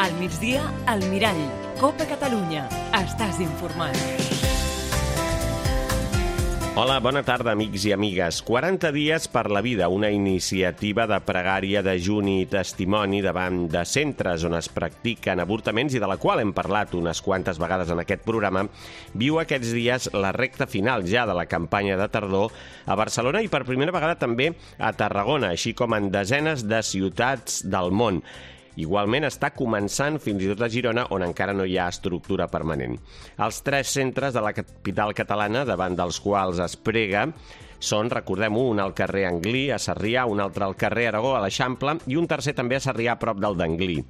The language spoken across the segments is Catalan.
Al migdia, al Mirall. Copa Catalunya. Estàs informat. Hola, bona tarda, amics i amigues. 40 dies per la vida, una iniciativa de pregària, dejuni i testimoni davant de centres on es practiquen avortaments i de la qual hem parlat unes quantes vegades en aquest programa, viu aquests dies la recta final ja de la campanya de tardor a Barcelona i per primera vegada també a Tarragona, així com en desenes de ciutats del món. Igualment està començant fins i tot a Girona, on encara no hi ha estructura permanent. Els 3 centres de la capital catalana davant dels quals es prega són, recordem-ho, un al carrer Anglí, a Sarrià, un altre al carrer Aragó, a l'Eixample, i un tercer també a Sarrià, a prop del d'Anglí.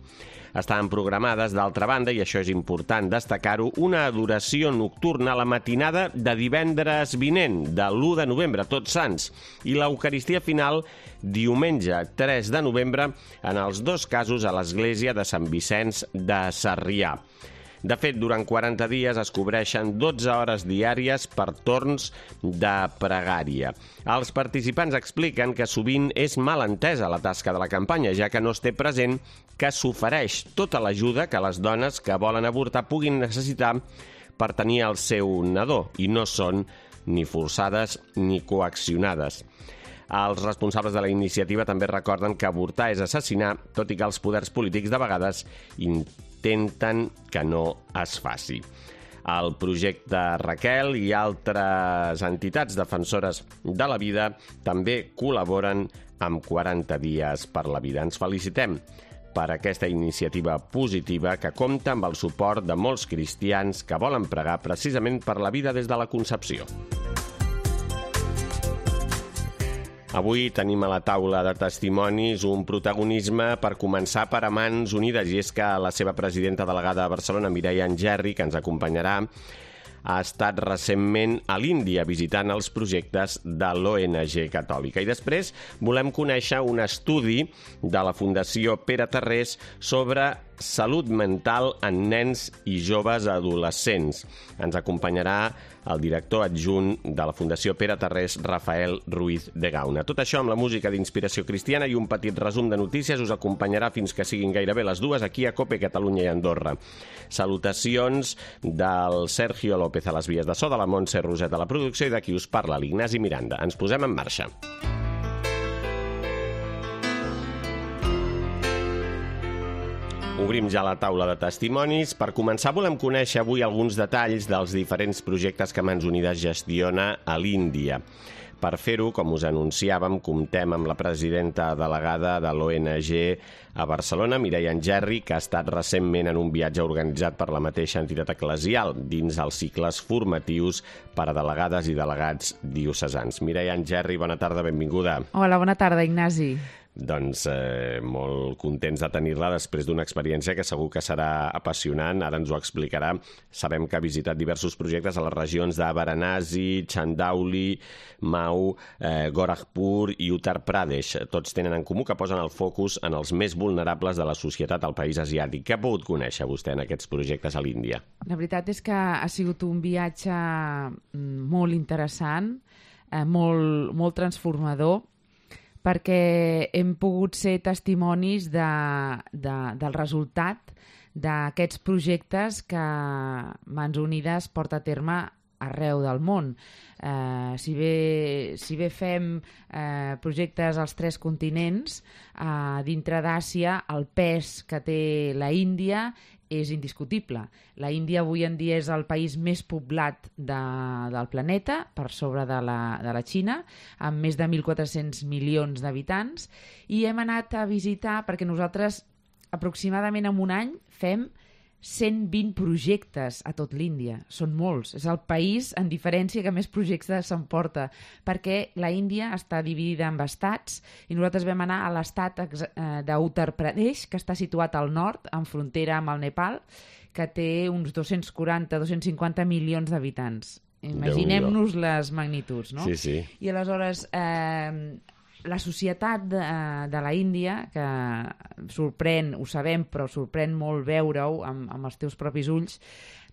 Estaven programades, d'altra banda, i això és important destacar-ho, una adoració nocturna a la matinada de divendres vinent, de l'1 de novembre, Tots Sants, i l'Eucaristia final diumenge 3 de novembre, en els 2 casos a l'església de Sant Vicenç de Sarrià. De fet, durant 40 dies es cobreixen 12 hores diàries per torns de pregària. Els participants expliquen que sovint és mal entesa la tasca de la campanya, ja que no es té present que s'ofereix tota l'ajuda que les dones que volen avortar puguin necessitar per tenir el seu nadó, i no són ni forçades ni coaccionades. Els responsables de la iniciativa també recorden que avortar és assassinar, tot i que els poders polítics de vegades intenten que no es faci. El projecte Raquel i altres entitats defensores de la vida també col·laboren amb 40 dies per la vida. Ens felicitem per aquesta iniciativa positiva que compta amb el suport de molts cristians que volen pregar precisament per la vida des de la concepció. Avui tenim a la taula de testimonis un protagonisme per començar per a Mans Unides, i és que la seva presidenta delegada a Barcelona, Mireia Engerri, que ens acompanyarà, ha estat recentment a l'Índia visitant els projectes de l'ONG catòlica. I després volem conèixer un estudi de la Fundació Pere Tarrés sobre salut mental en nens i joves adolescents. Ens acompanyarà el director adjunt de la Fundació Pere Tarrés, Rafael Ruiz de Gauna. Tot això amb la música d'inspiració cristiana i un petit resum de notícies us acompanyarà fins que siguin gairebé les 2 aquí a COPE Catalunya i Andorra. Salutacions del Sergio López a les vies de so, de la Montse Roset a la producció i d'aquí us parla l'Ignasi Miranda. Ens posem en marxa. Obrim ja la taula de testimonis. Per començar, volem conèixer avui alguns detalls dels diferents projectes que Mans Unides gestiona a l'Índia. Per fer-ho, com us anunciàvem, comptem amb la presidenta delegada de l'ONG a Barcelona, Mireia Engerri, que ha estat recentment en un viatge organitzat per la mateixa entitat eclesial dins els cicles formatius per a delegades i delegats diocesans. Mireia Engerri, bona tarda, benvinguda. Hola, bona tarda, Ignasi. Doncs molt contents de tenir-la després d'una experiència que segur que serà apassionant. Ara ens ho explicarà. Sabem que ha visitat diversos projectes a les regions de Varanasi, Chandauli, Mau, Gorakhpur i Uttar Pradesh. Tots tenen en comú que posen el focus en els més vulnerables de la societat al país asiàtic. Què ha pogut conèixer vostè en aquests projectes a l'Índia? La veritat és que ha sigut un viatge molt interessant, molt transformador, perquè hem pogut ser testimonis del resultat d'aquests projectes que Mans Unides porta a terme arreu del món. Si bé fem projectes als 3 continents, dintre d'Àsia el pes que té la Índia és indiscutible. La Índia avui en dia és el país més poblat del planeta, per sobre de la Xina, amb més de 1.400 milions d'habitants, i hem anat a visitar, perquè nosaltres aproximadament en un any fem 120 projectes a tot l'Índia. Són molts. És el país, en diferència, que més projectes s'emporta, perquè la Índia està dividida en estats i nosaltres vam anar a l'estat d'Uttar Pradesh, que està situat al nord, en frontera amb el Nepal, que té uns 240-250 milions d'habitants. Imaginem-nos les magnituds, no? Sí, sí. I aleshores la societat de la Índia, que sorprèn, ho sabem, però sorprèn molt veure-ho amb els teus propis ulls,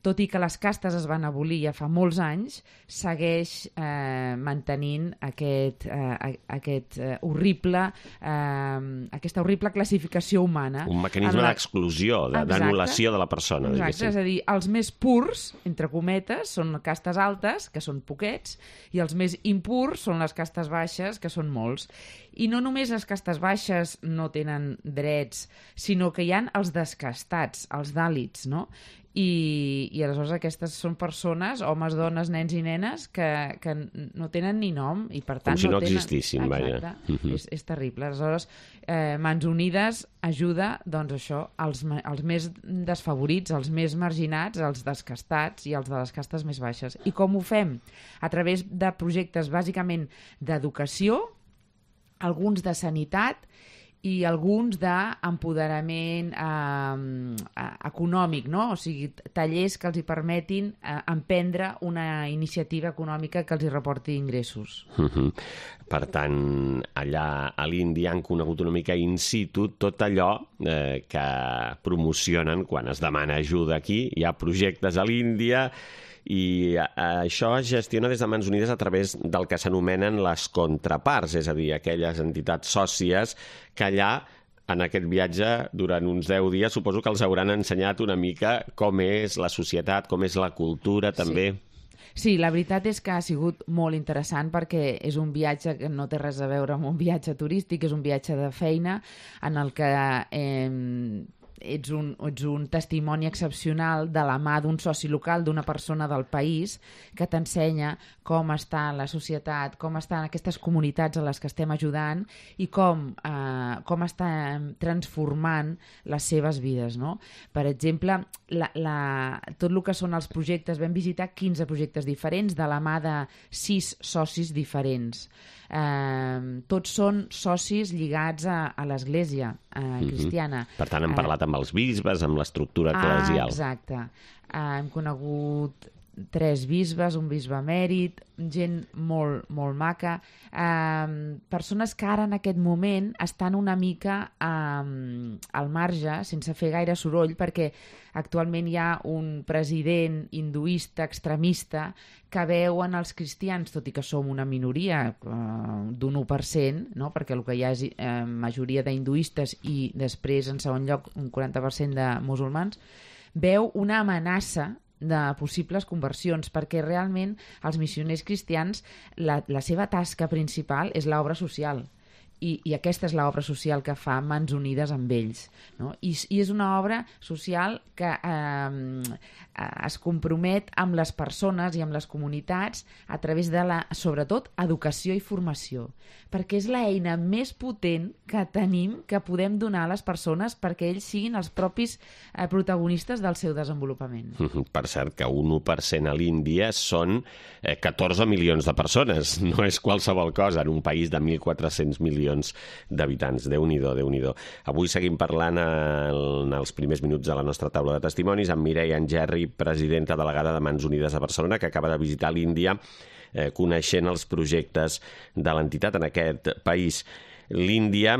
tot i que les castes es van abolir ja fa molts anys, segueix mantenint aquesta horrible classificació humana. Un mecanisme d'exclusió, d'anul·lació de la persona. Exacte, és a dir, els més purs, entre cometes, són castes altes, que són poquets, i els més impurs són les castes baixes, que són molts. I no només les castes baixes no tenen drets, sinó que hi ha els descastats, els dàlits, no? I aleshores aquestes són persones, homes, dones, nens i nenes, que no tenen ni nom i per tant com si no tenen... existissin, vaja. És terrible. Aleshores, Mans Unides ajuda, doncs això, els més desfavorits, els més marginats, els descastats i els de les castes més baixes. I com ho fem? A través de projectes bàsicament d'educació, alguns de sanitat i alguns d'empoderament econòmic, no? O sigui, tallers que els hi permetin emprendre una iniciativa econòmica que els hi reporti ingressos. Per tant, allà a l'Índia han conegut una mica in situ tot allò que promocionen quan es demana ajuda aquí. Hi ha projectes a l'Índia i això es gestiona des de Mans Unides a través del que s'anomenen les contraparts, és a dir, aquelles entitats sòcies que allà, en aquest viatge, durant uns 10 dies, suposo que els hauran ensenyat una mica com és la societat, com és la cultura, també. Sí, la veritat és que ha sigut molt interessant perquè és un viatge que no té res a veure amb un viatge turístic, és un viatge de feina en el que ets un testimoni excepcional de la mà d'un soci local, d'una persona del país, que t'ensenya com està la societat, com estan aquestes comunitats a les que estem ajudant i com estan transformant les seves vides, no? Per exemple, tot el que són els projectes, vam visitar 15 projectes diferents de la mà de 6 socis diferents. Tots són socis lligats a l'Església cristiana. Per tant, hem parlat amb els bisbes, amb l'estructura eclesial. Exacte. Hem conegut 3 bisbes, un bisbe emèrit, gent molt, molt maca, persones que ara en aquest moment estan una mica al marge, sense fer gaire soroll, perquè actualment hi ha un president hinduista extremista que veu en els cristians, tot i que som una minoria d'un 1%, no? Perquè el que hi ha és majoria d'hinduistes i després, en segon lloc, un 40% de musulmans, veu una amenaça de possibles conversions, perquè realment els missioners cristians, la seva tasca principal és l'obra social. I aquesta és l'obra social que fa Mans Unides amb ells, no? I és una obra social que es compromet amb les persones i amb les comunitats a través de sobretot, educació i formació, perquè és l'eina més potent que tenim, que podem donar a les persones perquè ells siguin els propis protagonistes del seu desenvolupament. Per cert, que un 1% a l'Índia són 14 milions de persones, no és qualsevol cosa en un país de 1.400 milions d'habitants. Déu-n'hi-do, Déu-n'hi-do. Avui seguim parlant en els primers minuts de la nostra taula de testimonis amb Mireia Engerri, presidenta delegada de Mans Unides a Barcelona, que acaba de visitar l'Índia coneixent els projectes de l'entitat en aquest país. L'Índia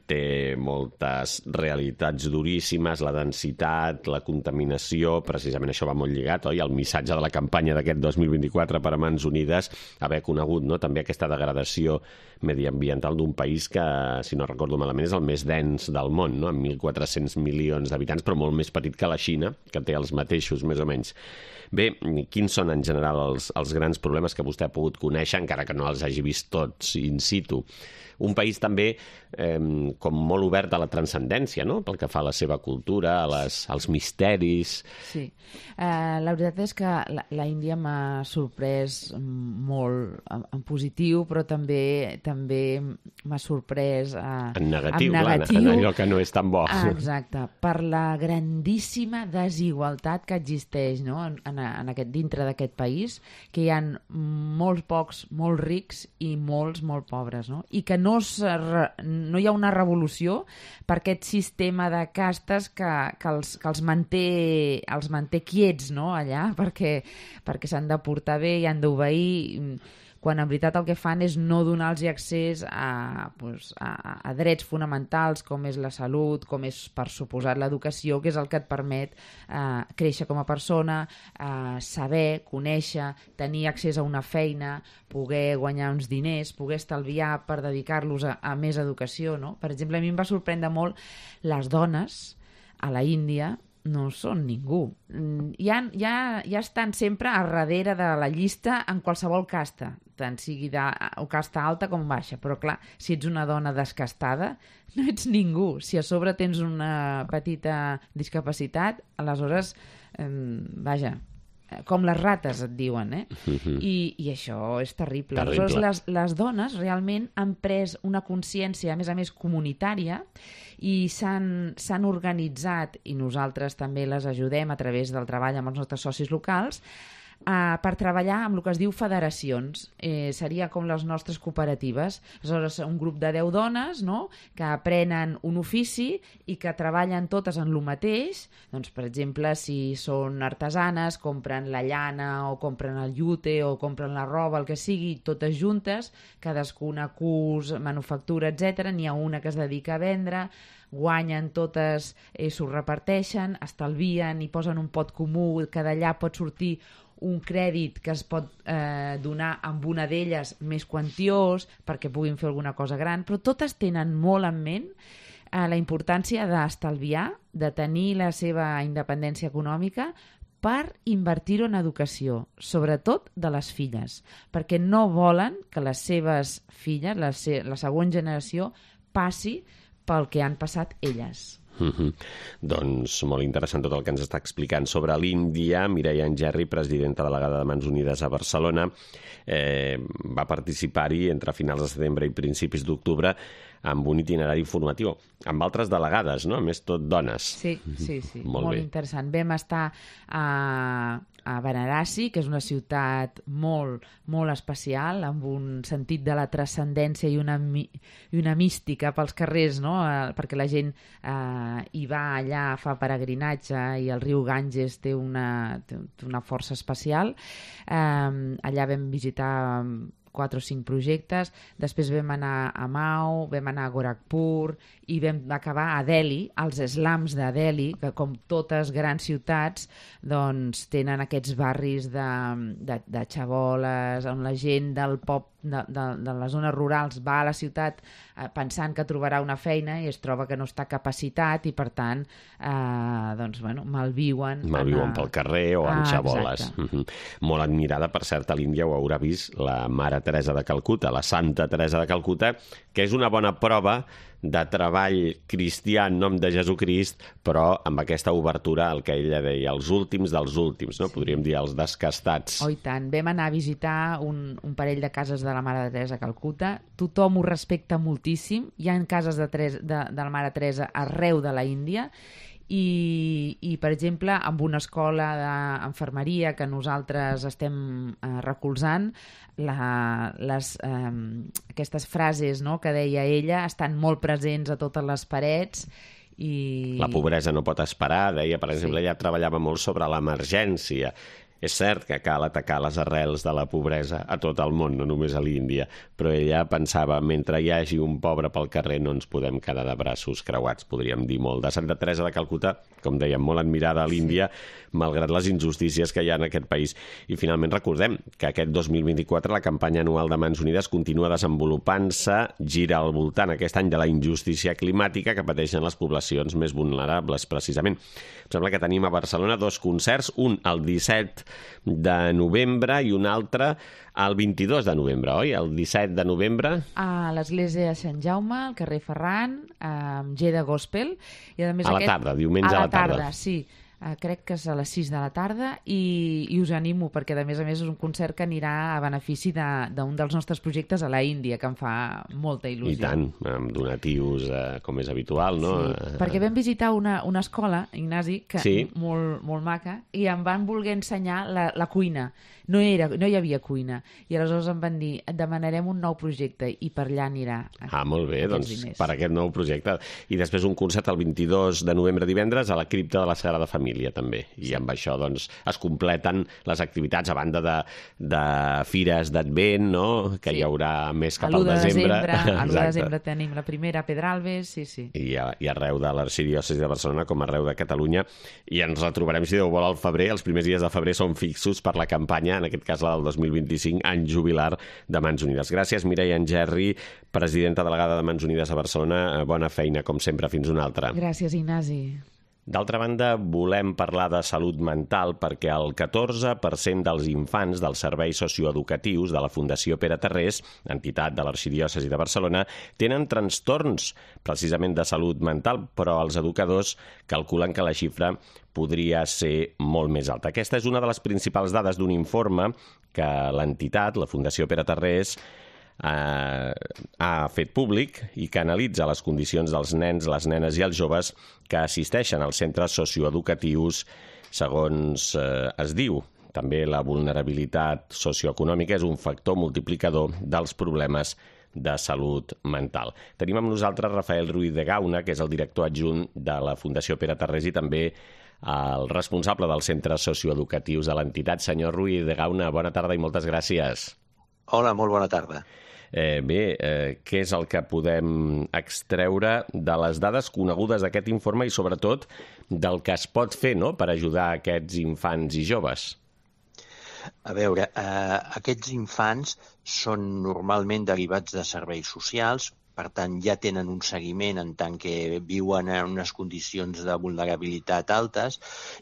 té moltes realitats duríssimes, la densitat, la contaminació, precisament això va molt lligat, oi? El missatge de la campanya d'aquest 2024 per a Mans Unides, haver conegut, no?, també aquesta degradació mediambiental d'un país que, si no recordo malament, és el més dens del món, no?, amb 1.400 milions d'habitants, però molt més petit que la Xina, que té els mateixos, més o menys. Bé, quins són en general els grans problemes que vostè ha pogut conèixer, encara que no els hagi vist tots in situ? Un país també com molt obert a la transcendència, no?, pel que fa a la seva cultura, als misteris. Sí. La veritat és que la Índia m'ha sorprès molt en positiu, però també m'ha sorprès en negatiu, en allò que no és tan bo. Exacte, per la grandíssima desigualtat que existeix, no?, dintre d'aquest país, que hi ha molts pocs, molt rics i molts, molt pobres, no?, i que no hi ha una revolució per aquest sistema de castes que els manté quiets, no?, allà, perquè s'han de portar bé i han d'obeir, quan en veritat el que fan és no donar-los accés a drets fonamentals com és la salut, com és, per suposat, l'educació, que és el que et permet créixer com a persona, saber, conèixer, tenir accés a una feina, poder guanyar uns diners, poder estalviar per dedicar-los a més educació, no? Per exemple, a mi em va sorprendre molt les dones a la Índia no són ningú. Ja estan sempre a darrere de la llista en qualsevol casta, tant sigui de casta alta com baixa. Però clar, si ets una dona descastada, no ets ningú. Si a sobre tens una petita discapacitat, aleshores, vaja, com les rates et diuen, I això és terrible. Aleshores, les dones realment han pres una consciència, a més comunitària, i s'han organitzat, i nosaltres també les ajudem a través del treball amb els nostres socis locals, per treballar amb el que es diu federacions. Seria com les nostres cooperatives. Aleshores, un grup de 10 dones, no?, que aprenen un ofici i que treballen totes en el mateix. Doncs, per exemple, si són artesanes, compren la llana o compren el llute o compren la roba, el que sigui, totes juntes, cadascuna cus, manufactura, etc. N'hi ha una que es dedica a vendre, guanyen totes, s'ho reparteixen, estalvien i posen un pot comú, que d'allà pot sortir un crèdit que es pot donar amb una d'elles més quantiós perquè puguin fer alguna cosa gran, però totes tenen molt en ment la importància d'estalviar, de tenir la seva independència econòmica per invertir-ho en educació, sobretot de les filles, perquè no volen que les seves filles, la següent generació, passi pel que han passat elles. Doncs molt interessant tot el que ens està explicant sobre l'Índia. Mireia Engerri, presidenta delegada de Mans Unides a Barcelona, va participar-hi entre finals de setembre i principis d'octubre amb un itinerari informatiu, amb altres delegades, no? A més, tot dones. Sí. Molt interessant. Vam estar a Varanasi, que és una ciutat molt, molt especial, amb un sentit de la transcendència i una mística pels carrers, no? Perquè la gent hi va allà, fa peregrinatge, i el riu Ganges té una força especial. Allà vam visitar 4 o 5 projectes, després vam anar a Mau, vam anar a Gorakhpur i vam acabar a Delhi, als slums de Delhi, que com totes grans ciutats doncs tenen aquests barris de xaboles, on la gent del de les zones rurals va a la ciutat pensant que trobarà una feina i es troba que no està capacitat i per tant malviuen pel carrer o en xaboles. Molt admirada, per cert, a l'Índia ho haurà vist la Mare Teresa de Calcuta, la Santa Teresa de Calcuta, que és una bona prova de treball cristià en nom de Jesucrist, però amb aquesta obertura al que ella deia, els últims dels últims, no? Podríem dir els descastats. Oh, i tant. Vam anar a visitar un parell de cases de la Mare Teresa de Calcuta. Tothom ho respecta moltíssim. Hi ha cases de la Mare Teresa arreu de la Índia i per exemple, amb una escola d'enfermeria que nosaltres estem recolzant, aquestes frases, no?, que deia ella estan molt presents a totes les parets. La pobresa no pot esperar, deia, per exemple, ella treballava molt sobre l'emergència. És cert que cal atacar les arrels de la pobresa a tot el món, no només a l'Índia, però ella pensava, mentre hi hagi un pobre pel carrer no ens podem quedar de braços creuats, podríem dir molt. De Santa Teresa de Calcuta, com dèiem, molt admirada a l'Índia, malgrat les injustícies que hi ha en aquest país. I finalment recordem que aquest 2024 la campanya anual de Mans Unides continua desenvolupant-se, gira al voltant aquest any de la injustícia climàtica que pateixen les poblacions més vulnerables, precisament. Em sembla que tenim a Barcelona 2 concerts, un el 17 de novembre i un altre el 22 de novembre, oi? El 17 de novembre... A l'església de Sant Jaume, al carrer Ferran, amb G de Gospel. I a més la tarda, diumenge a la tarda. A la tarda, sí. Crec que és a les 6 de la tarda i us animo perquè a més és un concert que anirà a benefici d'un dels nostres projectes a la Índia, que em fa molta il·lusió. I tant, amb donatius com és habitual, no? Sí, perquè vam visitar una escola, Ignasi, que molt maca, i em van voler ensenyar la cuina. No hi havia cuina. I aleshores em van dir, et demanarem un nou projecte i per allà anirà. Molt bé, doncs per aquest nou projecte. I després un concert el 22 de novembre divendres a la cripta de la Sagrada Família. família també. I amb això doncs, es completen les activitats a banda de fires d'Advent, no? Que hi haurà més cap al desembre. A l'1 de desembre tenim la primera a Pedralbes, sí. I arreu de l'Arxidiòcesi de Barcelona com arreu de Catalunya. I ens retrobarem, si Déu vol, al febrer. Els primers dies de febrer són fixos per la campanya, en aquest cas la del 2025, any jubilar de Mans Unides. Gràcies, Mireia Engerri, presidenta delegada de Mans Unides a Barcelona. Bona feina, com sempre. Fins una altra. Gràcies, Ignasi. D'altra banda, volem parlar de salut mental perquè el 14% dels infants dels serveis socioeducatius de la Fundació Pere Tarrés, entitat de l'Arxidiòcesi de Barcelona, tenen trastorns precisament de salut mental, però els educadors calculen que la xifra podria ser molt més alta. Aquesta és una de les principals dades d'un informe que l'entitat, la Fundació Pere Tarrés, ha fet públic i que analitza les condicions dels nens, les nenes i els joves que assisteixen als centres socioeducatius segons es diu. També la vulnerabilitat socioeconòmica és un factor multiplicador dels problemes de salut mental. Tenim amb nosaltres Rafael Ruiz de Gauna, que és el director adjunt de la Fundació Pere Tarrés i també el responsable dels centres socioeducatius de l'entitat. Senyor Ruiz de Gauna, bona tarda i moltes gràcies. Hola, molt bona tarda. Què és el que podem extreure de les dades conegudes d'aquest informe i, sobretot, del que es pot fer, no?, per ajudar aquests infants i joves? A veure, aquests infants són normalment derivats de serveis socials, per tant, ja tenen un seguiment en tant que viuen en unes condicions de vulnerabilitat altes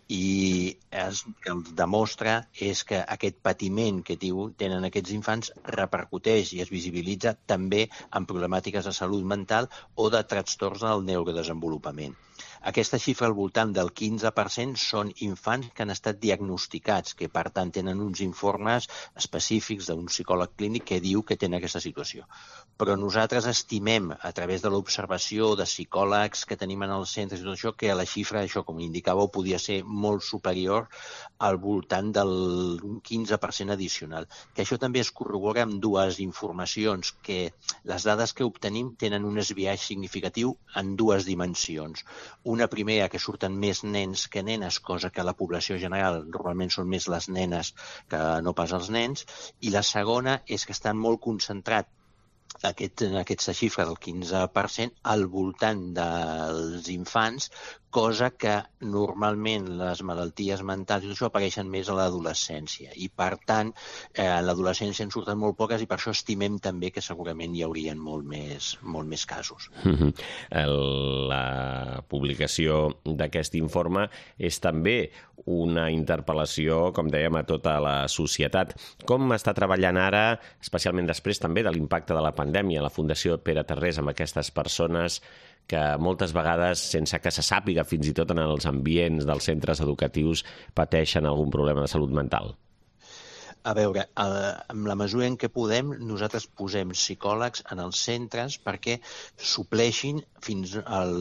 i el que els demostra és que aquest patiment que tenen aquests infants repercuteix i es visibilitza també en problemàtiques de salut mental o de trastorns del neurodesenvolupament. Aquesta xifra al voltant del 15% són infants que han estat diagnosticats, que per tant tenen uns informes específics d'un psicòleg clínic que diu que tenen aquesta situació. Però nosaltres estimem, a través de l'observació de psicòlegs que tenim en els centres i tot això, que la xifra, això com indicàveu, podia ser molt superior al voltant del 15% addicional. Que això també es corrobora amb dues informacions, que les dades que obtenim tenen un esbiaix significatiu en dues dimensions. Una primera, que surten més nens que nenes, cosa que a la població general normalment són més les nenes que no pas els nens, i la segona és que estan molt concentrat aquesta xifra del 15% al voltant dels infants, cosa que normalment les malalties mentals i tot això apareixen més a l'adolescència. I, per tant, a l'adolescència en surten molt poques i per això estimem també que segurament hi haurien molt més casos. La publicació d'aquest informe és també una interpel·lació, com dèiem, a tota la societat. Com està treballant ara, especialment després també de l'impacte de la pandèmia, la Fundació Pere Tarrés amb aquestes persones que moltes vegades, sense que se sàpiga fins i tot en els ambients dels centres educatius, pateixen algun problema de salut mental? A veure, en la mesura en què podem, nosaltres posem psicòlegs en els centres perquè supleixin fins al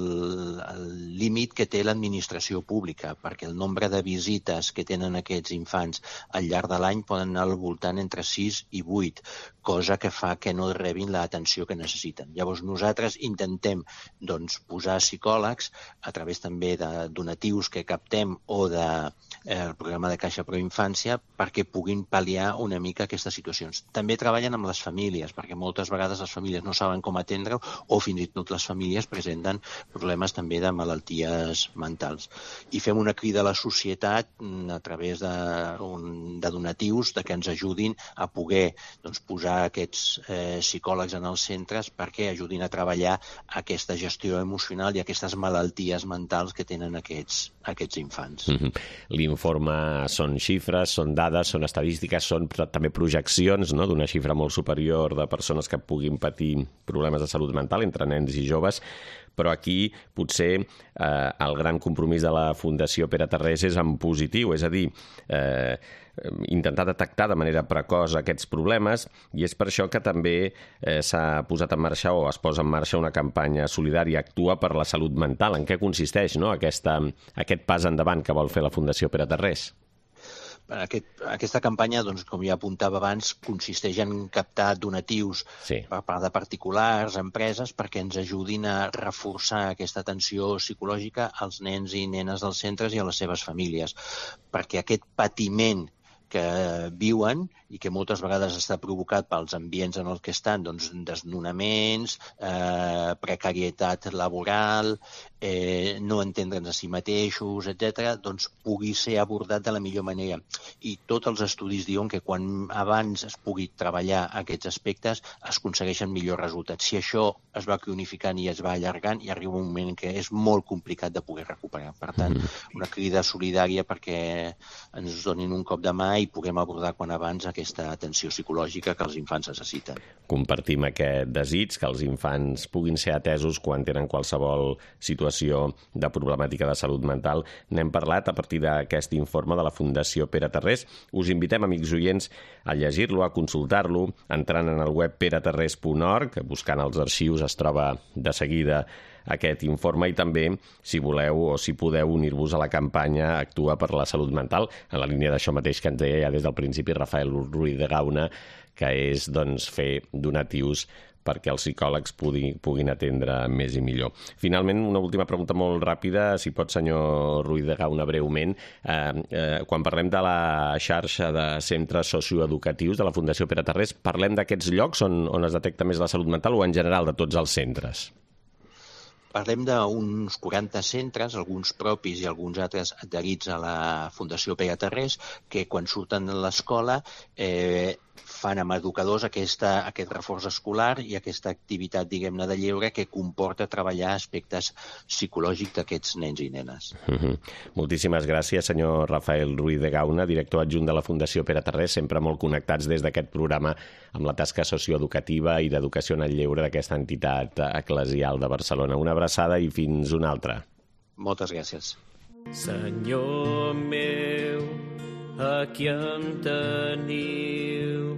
límit que té l'administració pública, perquè el nombre de visites que tenen aquests infants al llarg de l'any poden anar al voltant entre 6 i 8, cosa que fa que no rebin l'atenció que necessiten. Llavors nosaltres intentem posar psicòlegs a través també de donatius que captem o del programa de Caixa Pro Infància perquè puguin pal·liar una mica aquestes situacions. També treballen amb les famílies, perquè moltes vegades les famílies no saben com atendre o fins i tot les famílies presenten problemes també de malalties mentals. I fem una crida a la societat a través de donatius que ens ajudin a poder posar aquests psicòlegs en els centres perquè ajudin a treballar aquesta gestió emocional i aquestes malalties mentals que tenen aquests infants. L'informe són xifres, són dades, són estadístiques, són també projeccions, no?, d'una xifra molt superior de persones que puguin patir problemes de salut mental entre nens i joves, però aquí potser el gran compromís de la Fundació Pere Tarrés és en positiu, és a dir, intentar detectar de manera precoç aquests problemes, i és per això que també s'ha posat en marxa o es posa en marxa una campanya solidària Actua per la salut mental. En què consisteix, no?, aquest pas endavant que vol fer la Fundació Pere Tarrés? Aquesta campanya, doncs, com ja apuntava abans, consisteix en captar donatius per part de particulars, empreses, perquè ens ajudin a reforçar aquesta atenció psicològica als nens i nenes dels centres i a les seves famílies, perquè aquest patiment que viuen i que moltes vegades està provocat pels ambients en els que estan, doncs desnonaments, precarietat laboral, no entendre'ns a si mateixos, etc., doncs pugui ser abordat de la millor manera. I tots els estudis diuen que quan abans es pugui treballar aquests aspectes es aconsegueixen millors resultats. Si això es va cronificant i es va allargant, hi arriba un moment que és molt complicat de poder recuperar. Per tant, una crida solidària perquè ens donin un cop de mà i puguem abordar quan abans aquesta atenció psicològica que els infants necessiten. Compartim aquest desig, que els infants puguin ser atesos quan tenen qualsevol situació de problemàtica de salut mental. N'hem parlat a partir d'aquest informe de la Fundació Pere Tarrés. Us invitem, amics oients, a llegir-lo, a consultar-lo, entrant en el web peretarrés.org, buscant els arxius es troba de seguida aquest informe, i també, si voleu o si podeu unir-vos a la campanya Actua per la Salut Mental, en la línia d'això mateix que ens deia ja des del principi Rafael Ruiz de Gauna, que és fer donatius perquè els psicòlegs puguin atendre més i millor. Finalment, una última pregunta molt ràpida, si pot, senyor Ruiz de Gauna, breument. Quan parlem de la xarxa de centres socioeducatius de la Fundació Pere Tarrés, parlem d'aquests llocs on es detecta més la salut mental o en general de tots els centres? Parlem d'uns 40 centres, alguns propis i alguns altres adherits a la Fundació Pere Tarrés, que quan surten de l'escola fan amb educadors aquest reforç escolar i aquesta activitat, diguem-ne, de lleure que comporta treballar aspectes psicològics d'aquests nens i nenes. Moltíssimes gràcies, senyor Rafael Ruiz de Gauna, director adjunt de la Fundació Pere Tarrés, sempre molt connectats des d'aquest programa amb la tasca socioeducativa i d'educació en el lleure d'aquesta entitat eclesial de Barcelona. Una abraçada i fins una altra. Moltes gràcies. Senyor meu, aquí em teniu,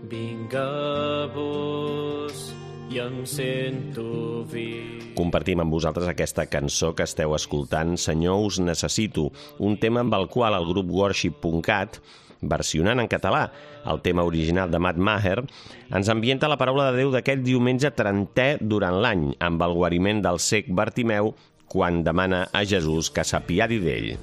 vinc a vos i em sento viu. Compartim amb vosaltres aquesta cançó que esteu escoltant, Senyor, us necessito, un tema amb el qual el grup Worship.cat, versionant en català el tema original de Matt Maher, ens ambienta la paraula de Déu d'aquest diumenge 30è durant l'any, amb el guariment del cec Bartimeu, quan demana a Jesús que s'apiadi d'ell.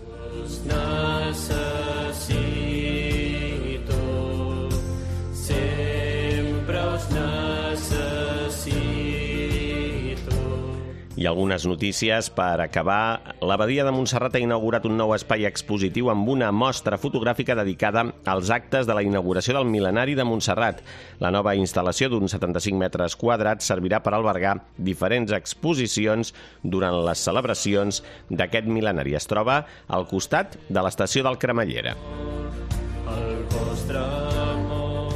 I algunes notícies per acabar. L'Abadia de Montserrat ha inaugurat un nou espai expositiu amb una mostra fotogràfica dedicada als actes de la inauguració del Mil·lenari de Montserrat. La nova instal·lació d'uns 75 metres quadrats servirà per albergar diferents exposicions durant les celebracions d'aquest mil·lenari. Es troba al costat de l'estació del Cremallera.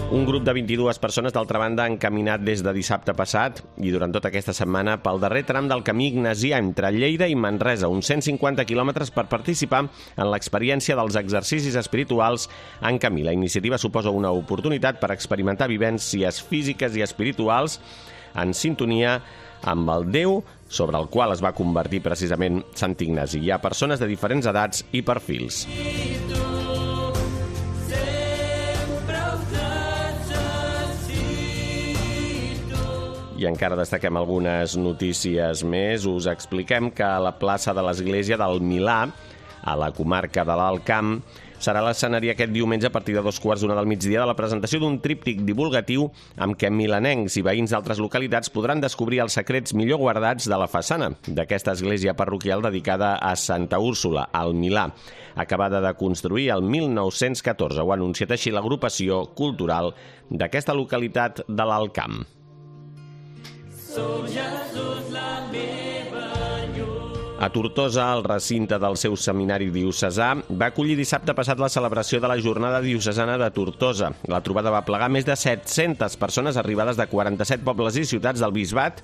Un grup de 22 persones, d'altra banda, han caminat des de dissabte passat i durant tota aquesta setmana pel darrer tram del camí ignasià entre Lleida i Manresa, uns 150 quilòmetres per participar en l'experiència dels exercicis espirituals en camí. La iniciativa suposa una oportunitat per experimentar vivències físiques i espirituals en sintonia amb el Déu sobre el qual es va convertir precisament Sant Ignasi. Hi ha persones de diferents edats i perfils. I encara destaquem algunes notícies més. Us expliquem que a la plaça de l'Església del Milà, a la comarca de l'Alt Camp, serà l'escenari aquest diumenge a partir de 2:15 del migdia de la presentació d'un tríptic divulgatiu amb què milanencs i veïns d'altres localitats podran descobrir els secrets millor guardats de la façana d'aquesta església parroquial dedicada a Santa Úrsula, al Milà, acabada de construir el 1914. Ho ha anunciat així l'agrupació cultural d'aquesta localitat de l'Alt Camp. A Tortosa, el recinte del seu seminari diocesà va acollir dissabte passat la celebració de la Jornada Diocesana de Tortosa. La trobada va plegar més de 700 persones arribades de 47 pobles i ciutats del Bisbat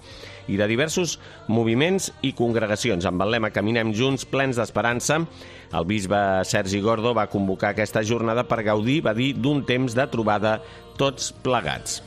i de diversos moviments i congregacions. Amb el lema Caminem junts, plens d'esperança, el bisbe Sergi Gordo va convocar aquesta jornada per gaudir, va dir, d'un temps de trobada tots plegats.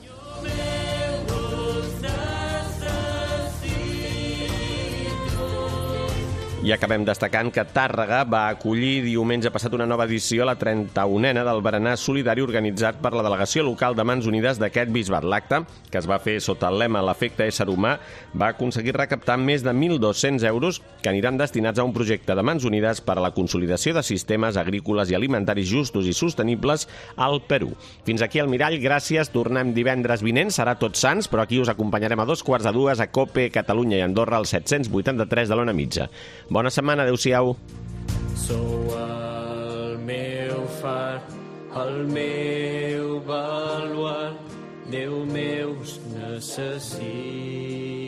I acabem destacant que Tàrrega va acollir diumenge passat una nova edició a la 31a del Berenar Solidari organitzat per la delegació local de Mans Unides d'aquest bisbat. L'acte, que es va fer sota el lema L'efecte ésser humà, va aconseguir recaptar més de 1.200 euros que aniran destinats a un projecte de Mans Unides per a la consolidació de sistemes agrícoles i alimentaris justos i sostenibles al Perú. Fins aquí el Mirall, gràcies. Tornem divendres vinent, serà Tots Sants, però aquí us acompanyarem a 2:45 a COPE, Catalunya i Andorra, al 783 de l'Ona Mitja. Bona setmana, adeu-siau. Sou el meu far, el meu baluart, Déu meu, us necessito.